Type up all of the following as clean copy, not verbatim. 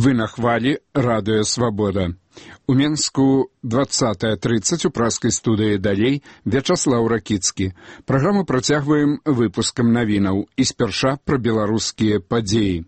Вы на хвалі радыё «Свабода». У Менску 20:30 у праскай студыі «Далей» Вячаслаў Ракіцкі. Праграму працягваем выпускам навінаў і спярша пра беларускія падзеі.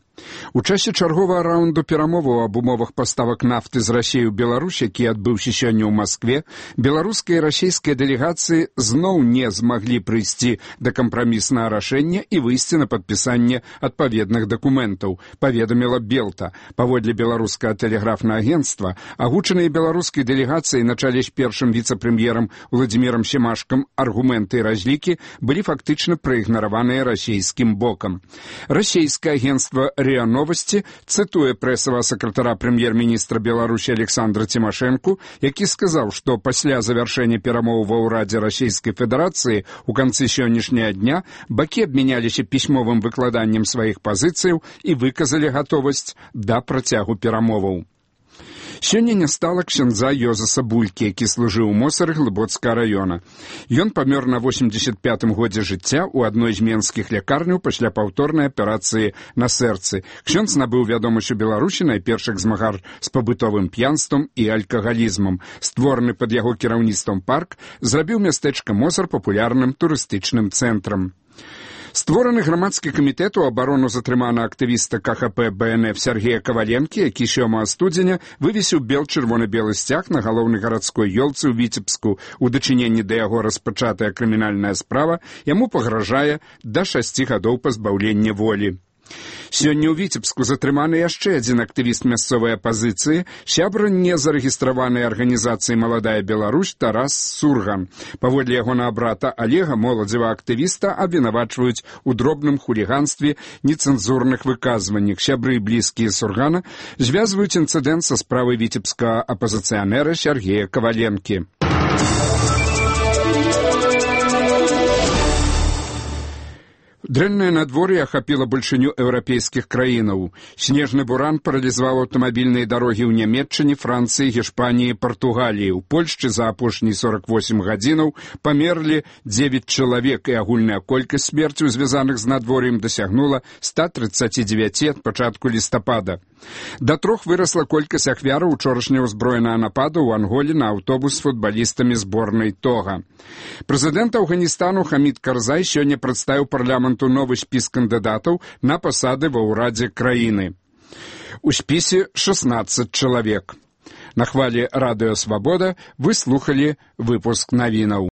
У часе чарговага раунду перамоваў аб умовах паставак нафты з Расіі ў Беларусь, які адбыўся сёння ў Маскве, беларускія і расійскія дэлегацыі зноў не змаглі прыйсці да кампраміснага рашэння і выйсці на падпісанне адпаведных дакументаў, паведаміла Белта. Паводле беларускага тэлеграфнага агенцтва, агучаныя беларускай дэлегацыяй на чале з першым віцэ-прэм'ерам Владзімірам Семашкам аргументы і разлікі былі фактычна праігнараваныя расійскім бокам. Расійскае агенцтва РИА Новости цитуе прэсавага сакратара прэм'ер-міністра Беларусі Александра Тимошенко, які сказаў, што пасля завяршэння перамоў ва ўрадзе Расійскай Федэрацыі у канцы сённяшняга дня бакі абмяняліся пісьмовым выкладаннем сваіх пазіцыяў і выказалі гатовасць да працягу перамоваў. Сёння не стала ксяндза Йозаса Булькі, які служыў у Мосары Глыбоцкага раёна. Ён памёр на 85-м годзе жыцця ў адной з менскіх лякарняў пасля паўторнай аперацыі на сэрцы. Ксёндз набыў вядомасць у Беларусі найперш як змагар з пабытовым п'янствам і алкагалізмам. Створаны пад яго кіраўніцтвам парк зрабіў мястэчка Мосар папулярным турыстычным цэнтрам. Створаны грамадскі камітэт у абарону затрыманага актывіста КХП БНФ Сергея Каваленкі, які 7 студзеня вывесіў чырвона-белы сцяг на галоўнай гарадской ёлцы ў Віцебску. У дачыненні да яго распачатая крымінальная справа яму пагражае да 6 гадоў пазбаўлення волі. Сёння ў Віцебску затрыманы яшчэ адзін актывіст мясцовай апазіцыі, сябра незарэгістраванай арганізацыі «Маладая Беларусь» Тарас Сурган. Паводле ягонага брата Олега, моладзевага актывіста абвінавачваюць у дробным хуліганстве, нецэнзурных выказваннях. Сябры і блізкія Сургана звязваюць інцыдэнт са справай віцебскага апазіцыянера Сергея Каваленкі. Дрэннае надвор'е ахапіла большыню еўрапейскіх краінаў. Снежны буран паралізаваў аўтамабільныя дарогі ў Нямецчыне, Францыі, Гішпаніі, Партугаліі. У Польшчы за апошнія 48 гадзінаў памерлі 9 чалавек, і агульная колькасць смерцяў, звязаных з надвор'ем, дасягнула 139 ад пачатку лістапада. Да 3 вырасла колькасць ахвяраў учорашняга ўзброенага нападу ў Анголе на аўтобус з футбалістамі зборнай Тога. Прэзідэнт Афганістану Хамід Карзай сёння прадставіў парламенту новы спіс кандыдатаў на пасады ва ўрадзе краіны. У спісе 16 чалавек. На хвалі радыё «Свабода» вы слухалі выпуск навінаў.